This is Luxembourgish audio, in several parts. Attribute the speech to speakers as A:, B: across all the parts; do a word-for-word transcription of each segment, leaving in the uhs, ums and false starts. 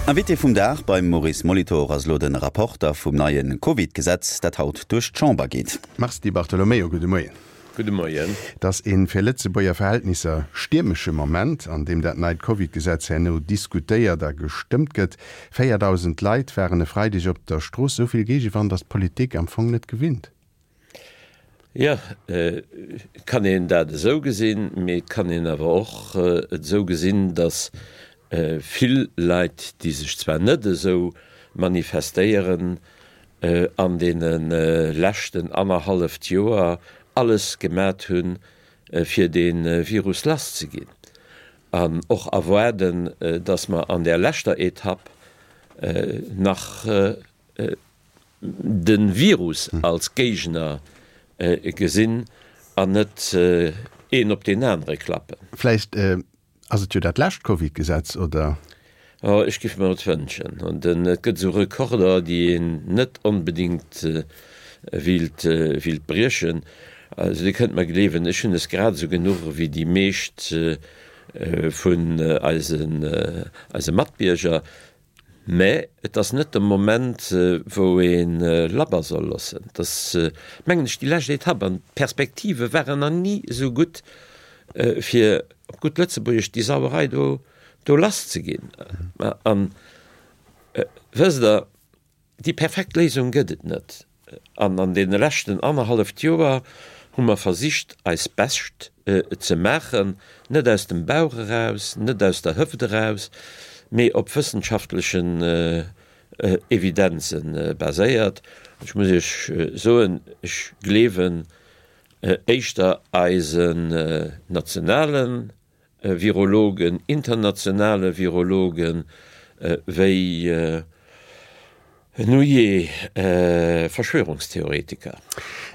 A: Invité vum Dag beim Maurice Molitor ass elo de Rapporter vum neie Covid-Gesetz, dat haut duerch d'Chamber geet.
B: Mars Di Bartolomeo, gudde Moien.
C: Gudde Moien.
B: Et ass ee fir Lëtzebuerger Verhältnisser stiermesche Moment, an deem dat neit Covid-Gesetz herno diskutéiert a gestëmmt gëtt. Véierdausend Leit waren e Freideg op der Strooss. Esou vill Géigewand ass d'Politik am Fong net gewinnt.
C: Jo, et kann een dat esou gesinn, mee et kann een awer och et esou gesinn, datt vill Leit, déi sech zwar net esou manifestéieren, an deene leschten annerhalleft Joer alles gemat hunn, fir dee Virus lasszeginn an och erwaarden, datt mer an där leschter Etapp nach de Virus als Géigner gesinn an net een op deen anere klappen.
B: Vläicht ass et jo dat lescht Covid-Gesetz, oder?
C: Oh, ech géif mer et wënschen. An et gëtt esou Rekorder, déi een net onbedéngt wéilt, wéilt briechen. Also Dir kënnt mer gleewen, ech hunn es grad esou genuch ewéi déi meescht vun eisen, eise Matbierger. Mä et ass net de Moment, wou ee labber soll loossen. Et ass, mengen ech, déi lescht Etapp an d'Perspektive waren nach ni esou gutt, fir op gutt Lëtzebuergesch déi Sauerei do, do lasszeginn. An, wësst Der, déi perfekt Léisung gëtt et net. An an deene leschten annerhalleft Joer hu mer versicht, eis Bescht ze maachen, net aus dem Bauch eraus, net aus der Hëft eraus, mee op wëssenschaftlechen Evidenze baséiert. Ech muss Iech soen, ech gleewen éischter eisen nationale Virologen, internationale Virologen, wéi nujee Verschwörungstheoretiker.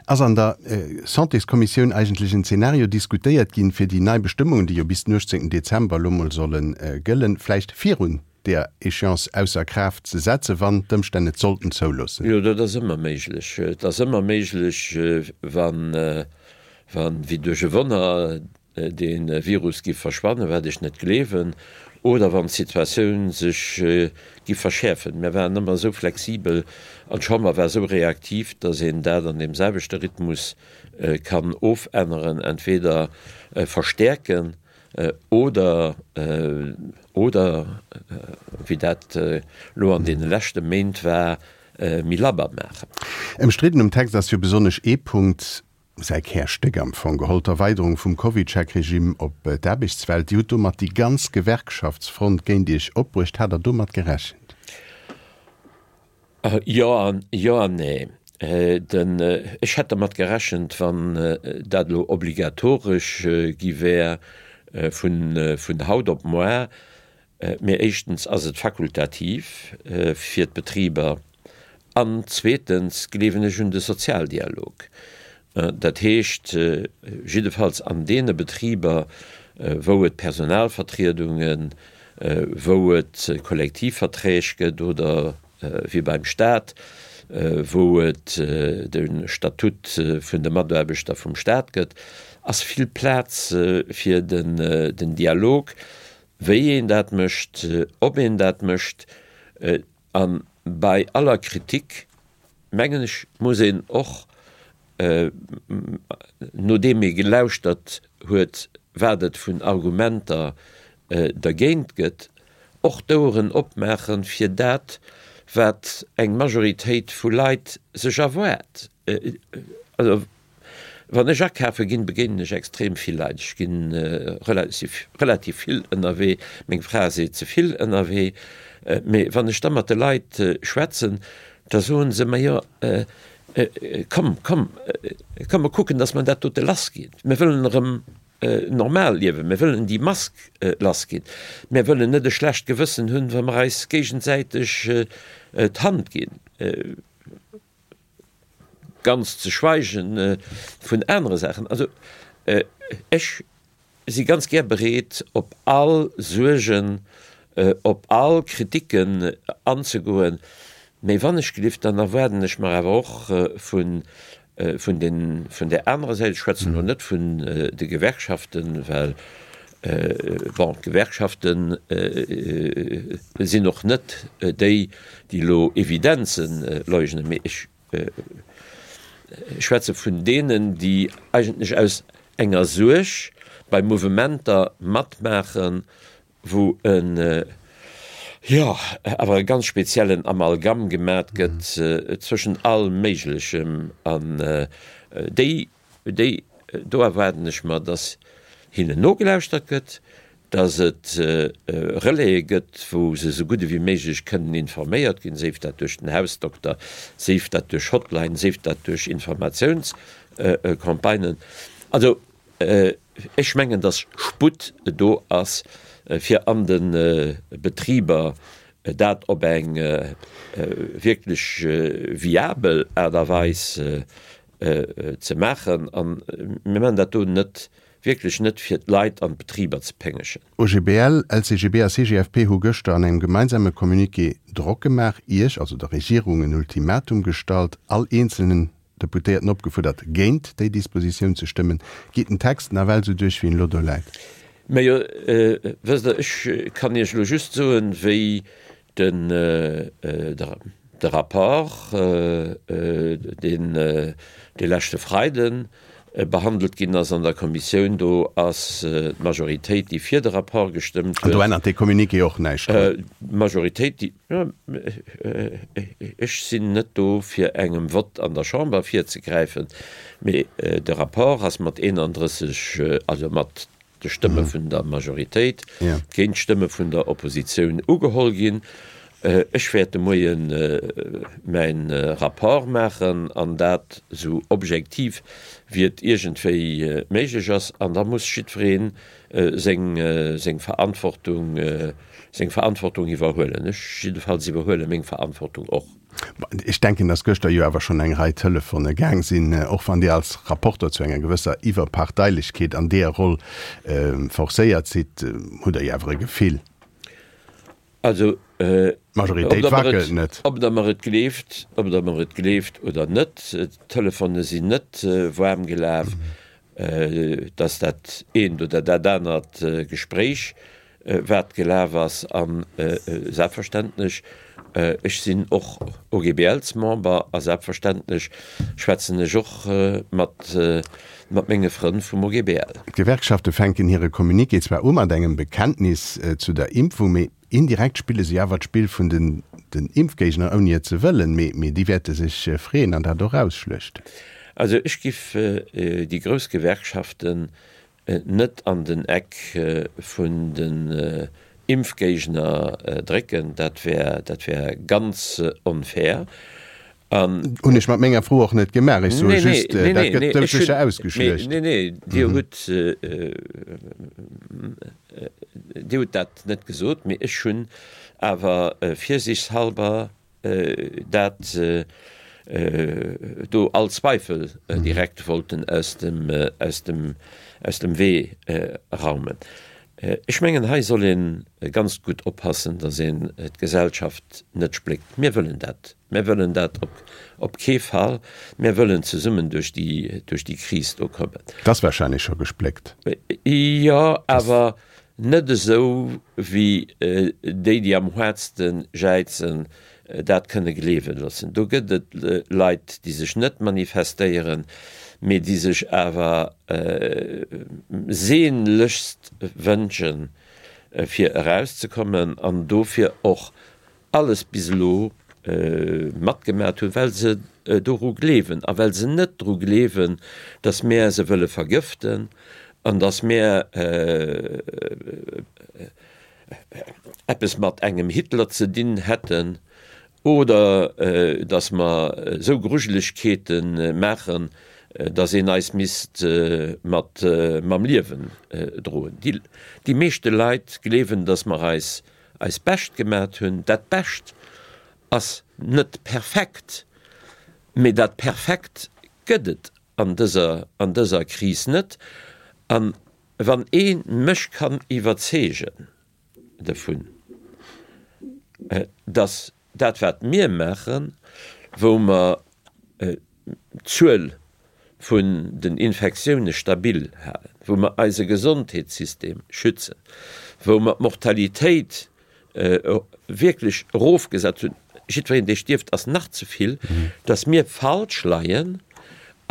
B: Ass an der Santéskommissioun eigentlech en Zeenario diskutéiert ginn, fir déi nei Bestëmmungen, déi jo bis den uechtzéngten Dezember elo mol solle gëllen, vläicht virun där Échéance ausser Kraaft ze setzen, wann d'Ëmstänn et sollten zouloossen?
C: Jo, dat ass ëmmer méiglech. Et ass ëmmer méiglech, wann, wéi duerch e Wonner, dee Virus giff verschwannen, wat ech net gleewen, oder wann d'Situatioun sech giff verschäerfen. Mir waren ëmmer esou flexibel an d'Chamber war esou reaktiv, datt een dat an deem selwechte Rhythmus kann ofänneren, entweder verstäerken oder, oder, wéi dat elo an deene leschte Méint war, méi labber maachen.
B: Ëmstridden um Text ass jo besonnesch ee Punkt, Säi Kärstéck am Fong geholl, d'Erweiderung vum CovidCheck-Regime op d'Aarbechtswelt. Dir hutt domat déi ganz Gewerkschaftsfront géint Iech opbruecht. Hat Der domat gerechent?
C: Jo an jo an nee. Den, ech hätt dermat gerechent, wann dat elo obligatoresch gi wär vun, vun haut op moar. Mee éischtens ass et fakultativ fir d'Betriber an zweetens gleewen ech un de Sozialdialog. Dat heescht, jiddefalls an deene Betriber, wou et Personalvertriedungen, wou et Kollektivverträg gëtt oder wéi beim Stat, wou et de Statut vun de Mataarbechter vum Stat gëtt, ass vill Plaz fir den Dialog, wéi een dat mécht, ob een dat mécht. A bei aller Kritik, mengen ech, muss een och, nodeem ee gelauschtert huet, wat et vun Argumenter dergéint gëtt, och d'Oueren opmaache fir dat, wat eng Majoritéit vu Leit sech erwaart. Also, wann ech akafe ginn, begéinen ech extrem vill Leit. Ech gi relativ, relativ vill ënnerwee. Meng Fra seet, ze vill ënnerwee. Mee wann ech da mat de Leit schwätzen, da soen se, Majo, komm, komm, komm mer kucken, datt mer dat dote lassginn. Mir wëllen erëm normal liewen, mir wëllen déi Mask lassginn, mir wëllen net e schlecht Gewëssen hunn, wa mer eis géigensäiteg d'Hand ginn. Ganz ze schweigen vun anere Saachen. Also ech si ganz gär bereet, op all Suergen, op all Kriticken anzegoen, mee wann ech gelift, dann erwaarden ech mer awer och vun vun den, vun där anerer Säit, ech schwätzen elo net vun de Gewerkschaften, well Bon, d'Gewerkschafte sinn och net déi, déi elo Evidenze leugnen, mee ech schwätze vun deenen, déi eigentlech aus enger Suerg bei Mouvementer matmaachen, wou en, jo, awer e ganz speziellen Amalgam gemat gëtt zwëschent all Méiglechem. An déi, déi, do erwaarden ech mer, dass hinnen nogelauschtert gëtt, dass et Relaie gëtt, wou se esou gutt ewéi méiglech kënnen informéiert ginn, séif dat duerch den Hausdokter, séif dat duerch Hotline, séif dat duerch Informatiounscampagnen. Also ech mengen, dass Sputt do ass, fir an de Betriber dat op eng wierklech viabel Aart a Weis ze maachen. A mir maachen dat do net, wierklech net, fir d'Leit an d'Betriber ze péngegen.
B: OGBL, LCGB a CGFP hu gëschter an engem gemeinsame Communiqué Drock gemaach, Iech, also der Regierung, en Ultimatum gestallt, all eenzelnen Deputéierten opgefuerdert, géint déi Dispositioun ze stëmmen. Geet den Text nawell esou duerch, wéi en elo do läit?
C: Majo, wësst Der, ech kann Iech elo just soen, wéi den, de Rapport, deen de leschte Freiden behandelt ginn ass an der Kommissioun, do ass d'Majoritéit, déi fir de Rapport gestëmmt
B: huet. An do ännert dee Communiqué och näischt
C: drun? D'Majoritéit, déi, ech sinn net do fir engem Vott an der Chamber virzegräifen, mee de Rapport ass mat eenandrësseg, also mat de Stëmme vun der Majoritéit géint d'Stëmme vun der Oppositioun ugeholl ginn. Ech wäert de Moie mäin Rapport maachen, an dat esou objektiv wéi et iergendwéi méiglech ass, an da muss jiddweree seng seng Verantwortung seng Verantwortung iwwerhuelen. Ech jiddefalls iwwerhuele meng Verantwortung och.
B: Ech denken, datt gëschter jo awer schonn eng Rei Telefone gaang sinn, och wann Dir als Rapporter zu enger gewësser Iwwerparteilechkeet an deeër Roll forcéiert sidd, hutt Der jo awer e Gefill.
C: Also,
B: D'Majoritéit wackelt net.
C: Ob Der mer et gleeft, ob Der mer et gleeft oder net, d'Telefone sinn net waarm gelaf, dass dat eent oder dat anert Gespréich wat gelaf ass. A selbstverständlech, ech sinn och OGBLs-Member a selbstverständlech schwätzen ech och mat mat menge Frënn vum OGBL.
B: D'Gewerkschafte fänken hire Communiqué zwar u mat engem Bekenntnis zu der Impfung, mee indirekt spille si awer d'Spill vun den den Impfgéigner, ouni et ze wëllen. Mee mee déi wäerte sech freeën an dat och ausschluechten.
C: Also ech giff déi grouss Gewerkschaften net an den Eck vun den Impfgéigner drécken, dat wär, dat wär ganz onfair.
B: An. Hunn ech mat menger Fro och net gemaach. Ech soe just, dat gëtt doudsécher ausgeschluecht.
C: Nee, nee, Dir hutt, Dir hutt dat net gesot, mee ech hunn awer virsiichtshalber dat do all Zweifel direkt wollten aus dem, aus dem, aus dem Wee raumen. Ech mengen, hei soll ee ganz gutt oppassen, datt een d'Gesellschaft net spléckt. Mir wëllen dat, mir wëllen dat op, op kee Fall. Mir wëllen zesummen duerch déi, duerch déi Kris do kommen.
B: Et ass wahrscheinlech scho gespléckt.
C: Jo, awer net esou wéi déi, déi am haartste jäizen, dat kënne gleewe loossen. Do gëtt et Leit, déi sech net manifestéieren, mee déi sech awer sehnlechst wënschen, fir erauszekommen an dofir och alles bis elo matgemat hunn, well se doru gleewen a well se net dru gleewen, datt mär se wëlle vergëften an datt mär eppes mat engem Hitler ze dinn hätten oder datt mer esou Grujelegkeete maachen, datt een eis misst mat mam Liewen droen. Déi meeschte Leit gleewen, datt mer eis eist Bescht gemat hunn. Dat Bescht ass net perfekt, mee dat Perfekt gëtt et an dëser an dëser Kris net. An wann ee mech kann iwwerzeegen dovun, datt dat wat mir maachen, wou mer d'Zuel vun den Infektioune stabil halen, wou mer eise Gesondheetssystem schützen, wou mer d'Mortalitéit wierklech erofgesat hunn, jiddwereen dee stierft ass nach ze vill, datt mir falsch leien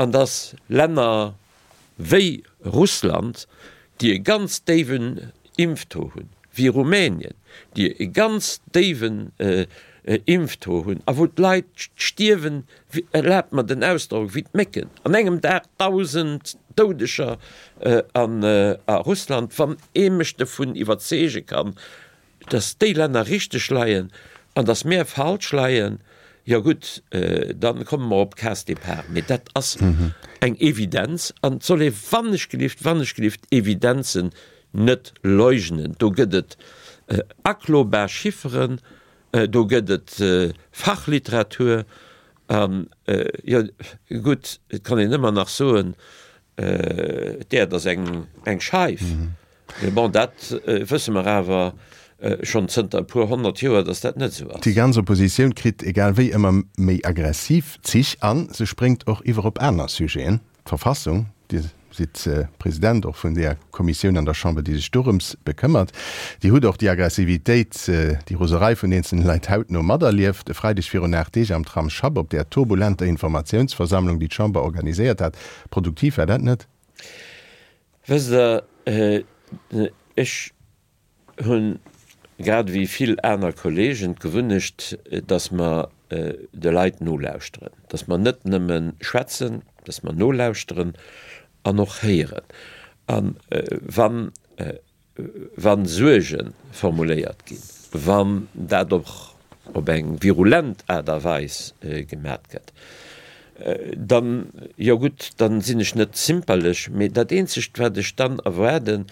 C: an datt Länner wéi Russland, déi e ganz déiwen Impftaux hunn, wéi Rumänien, déi e ganz déiwen Impftaux hunn a wou d'Leit stierwen, erlaabt mer den Ausdrock, wéi d'Mécken, an engem Dag dausend Doudeger a Russland, wann ee mech dovun iwwerzeege kann, dass déi Länner richteg leien an dass mär falsch leien, jo gutt, da komme mer op Case départ. Mee dat ass eng Evidenz an et soll ee wannechgelift, wannechgelift Evidenzen net leugnen. Do gëtt et aklobar Chifferen, do gëtt et Fachliteratur an, jo gutt, et kann een ëmmer nach soen, D'Äerd ass eng Scheif. Mee bon, dat wësse mer awer schonn zënter e puer honnert Joer, datt dat net esou ass.
B: Déi ganz Oppositioun kritt egal wéi ëmmer méi aggressiv Zich a se spréngt och iwwer op aner Sujeten. D'Verfassung, Dir sidd President och vun deeër Kommissioun an der Chamber, déi sech dorëms bekëmmert, Dir hutt och déi Aggressivitéit, déi Roserei vun eenzelne Leit hautno materlieft, e Freideg virun aacht Deeg am Tram Schapp op där turbulenter Informatiounsversammlung, déi d'Chamber organiséiert hat. Produktiv war dat net.
C: Wësst Der, ech hunn, grad ewéi vill aner Kollegen, d'Gewunnecht, dass mer de Leit nolauschteren, dass mer net nëmme schwätzen, dass mer nolauschteren an och héieren. A wann, wa Suerge formuléiert ginn, wann dat och op eng virulent Aart a Weis gemat gëtt, dann, jo gutt, dann sinn ech net zimperlech, mee dat eenzegt wat ech dann erwaarden,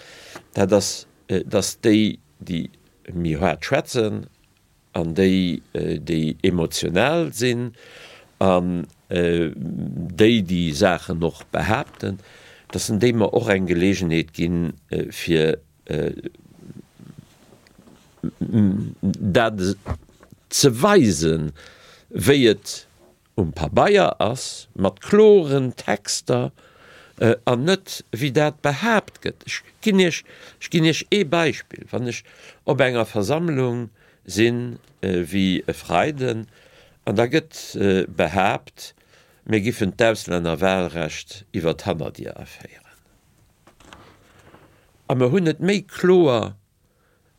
C: dat ass, dass déi, déi méi haart schwätzen an déi, déi emotional sinn an déi, déi Saachen och behaapten, dass en déi mer och eng Geleegenheet ginn, fir dat ze weisen, wéi et um Pabeier ass, mat kloren Texter an net wéi dat behaapt gëtt. Ech ginn Iech, ech ginn Iech ee Beispill, Wann ech op enger Versammlung sinn, wéi e Freiden, an da gëtt behaapt, mir giffen d'Auslännerwahlrecht iwwer d'Hannerdier aféieren, a mer hunn et méi kloer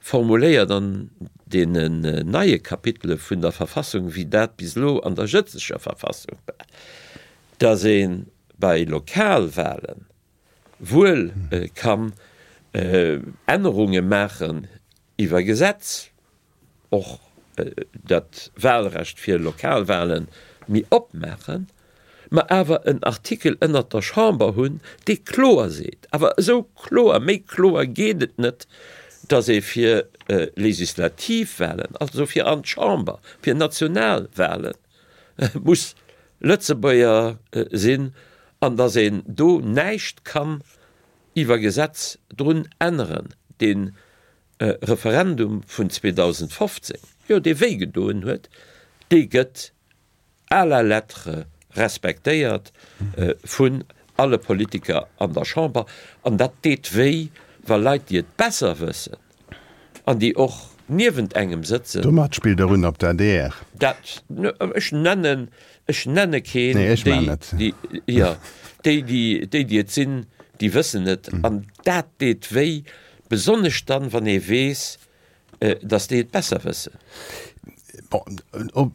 C: formuléiert an deenen neie Kapitele vun der Verfassung, wéi dat bis elo an der jëtzeger Verfassung war, dass ee bei Lokalwahlen wuel kann Ännerunge maachen iwwer Gesetz, och dat Wahlrecht fir Lokalwahlen méi opmaachen, mer awer en Artikel ënnert der Chamber hunn, dee kloer seet, awer esou kloer, méi kloer geet et net, dass ee fir Legislativwahlen, also fir an d'Chamber, fir national Wahlen, muss Lëtzebuerger sinn an dass een do näischt kann iwwer Gesetz drun änneren. Dee Referendum vun zweedausendfofzéng, jo, dee wéigedoen huet, dee gëtt à la lettre respektéiert vun alle Politiker an der Chamber. An dat deet wéi, wa Leit, déi et besser wëssen an déi och niewent engem sëtzen.
B: Domat spillt Der un op d'ADR.
C: Dat, ech nennen, ech nenne keen.
B: Nee, ech maachen et.
C: Déi, jo, déi, déi, déi et sinn, déi wëssen et. An dat deet wéi, besonnesch dann, wann ee weess, datt déi et besser wëssen.
B: Bon,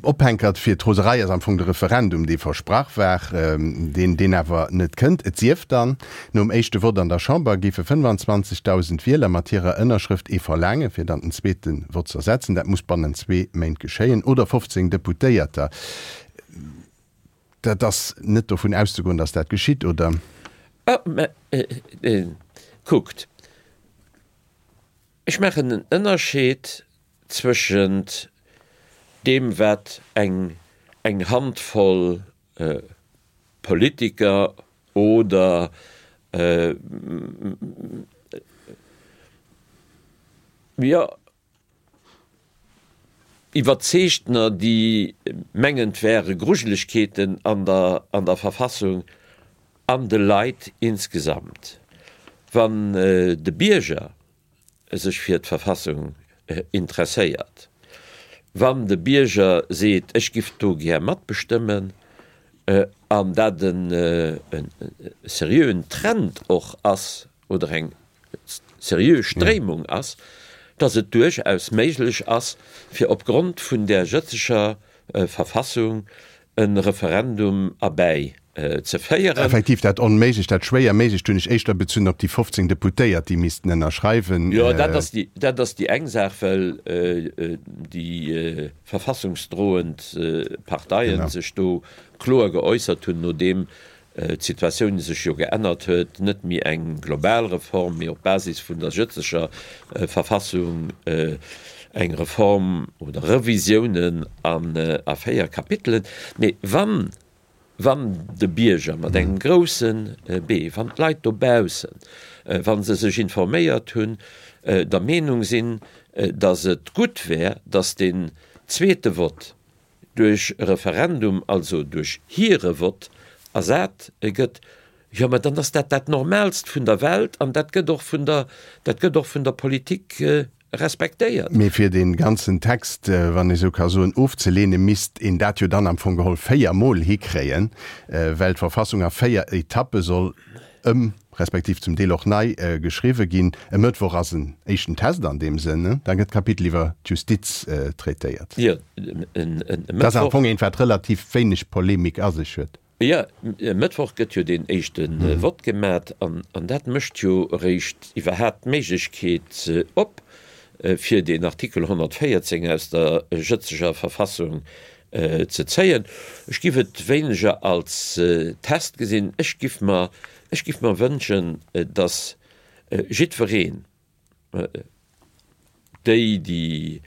B: Ophänkert fir d'Roserei ass am Fong de Referendum, dee versprach war, deen, deen awer net kënnt. Et sief dann, nom éischte Vott an der Chamber géife fënnefanzwanzegdausend Wieler mat hirer Ënnerschrëft ee verlaangen, fir dann den zweete Vott z'ersetzen. Dat muss bannent zwee Méint geschéien. Oder fofzéng Deputéierter. Dat ass net dovun auszegoen, datt dat geschitt, oder?
C: Mä kuckt, ech maachen en Ënnerscheed zwëschent deem, wat eng eng Handvoll Politiker oder jo, Iwwerzeegtener, déi mengen, et wäre Grujelegkeeten an der an der Verfassung, an de Leit insgesamt. Wann de Bierger sech fir d'Verfassung interesséiert, wann de Bierger seet, ech giff do gär matbestëmmen, an dat e seriöen Trend och ass oder eng seriö Stréimung ass, dass et duerchaus méiglech ass, fir opgrond vun där jëtzeger Verfassung e Referendum erbäi ze féieren.
B: Effektiv, dat Onméiglecht, dat schwéier Méiglecht hunn ech éischter bezunn op déi fofzéng Deputéiert, déi missten ënnerschreiwen.
C: Jo, dat ass déi, dat ass déi eng Saach, well déi verfassungsdroend Parteien sech do kloer geäussert hunn, nodeem d'Situatioun sech jo geännert huet, net méi eng global Reform, mee op Basis vun der jëtzeger Verfassung eng Reform oder Revisiounen a véier Kapitelen. Mee wann, wann de Bierger mat engem grousse B, wann d'Leit dobaussen, wa se sech informéiert hunn, der Meenung sinn, datt et gutt wär, datt deen zweete Vott duerch e Referendum, also duerch hire Vott, ersat gëtt, jo, mä dann ass dat dat Normaalst vun der Welt an dat gëtt och vun der, dat gëtt och vun der Politik respektéiert.
B: Mee fir dee ganzen Text, wann ee sou ka soen, ofzeleenen, misst een dat jo dann am Fong geholl véier Mol hikréien, well d'Verfassung a véier Etappe soll ëm respektiv zum Deel och nei geschriwwe ginn. E Mëttwoch ass en éischten Test an deem Sënn, da gëtt d'Kapitel iwwer d'Justiz traitéiert.
C: Jo, e Mëttwoch.
B: Dat ass am Fong eent, wat relativ wéineg Polemik a sech huet.
C: Jo, e Mëttwoch gëtt jo deen éischte Vott gemat an dat mécht jo eréischt iwwerhaapt d'Méiglechkeet op, fir deen Artikel honnertvéierzéng aus der jëtzeger Verfassung ze zéien. Ech giff et wéineger als Test gesinn. Ech giff mer, ech giff mer wënschen, datt jiddwereen, déi, déi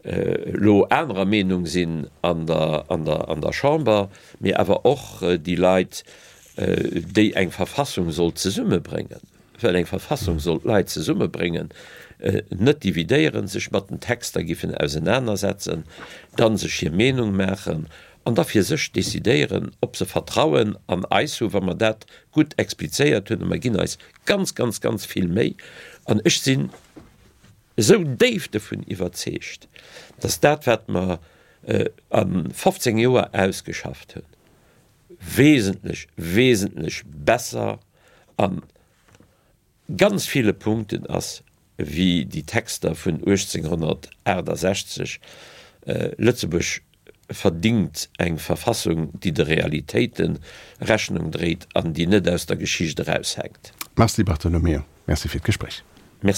C: elo anerer Meenung sinn an der, an der, an der Chamber, mee awer och déi Leit, déi eng Verfassung soll zesummebréngen, well eng Verfassung soll d'Leit zesummebréngen, net dividéieren, sech mat den Texter giffen ausenanersetzen, dann sech hir Meenung maachen an da fir sech decidéieren, ob se Vertrauen an eis hu, wa mer dat gutt explizéiert hunn, a mer ginn eis ganz, ganz, ganz vill Méi, an ech sinn esou déif dovun iwwerzeegt, dass dat, wat mer a fofzéng Joer ausgeschafft hunn, wesentlech, wesentlech besser a ganz ville Punkten ass wéi déi Texter vun uechtzénghonnertaachtasechzeg. Lëtzebuerg verdingt eng Verfassung, déi de Realitéite Rechnung dréit an déi net aus der Geschicht eraushänkt.
B: Mars Di Bartolomeo, Merci fir d'Gespréich.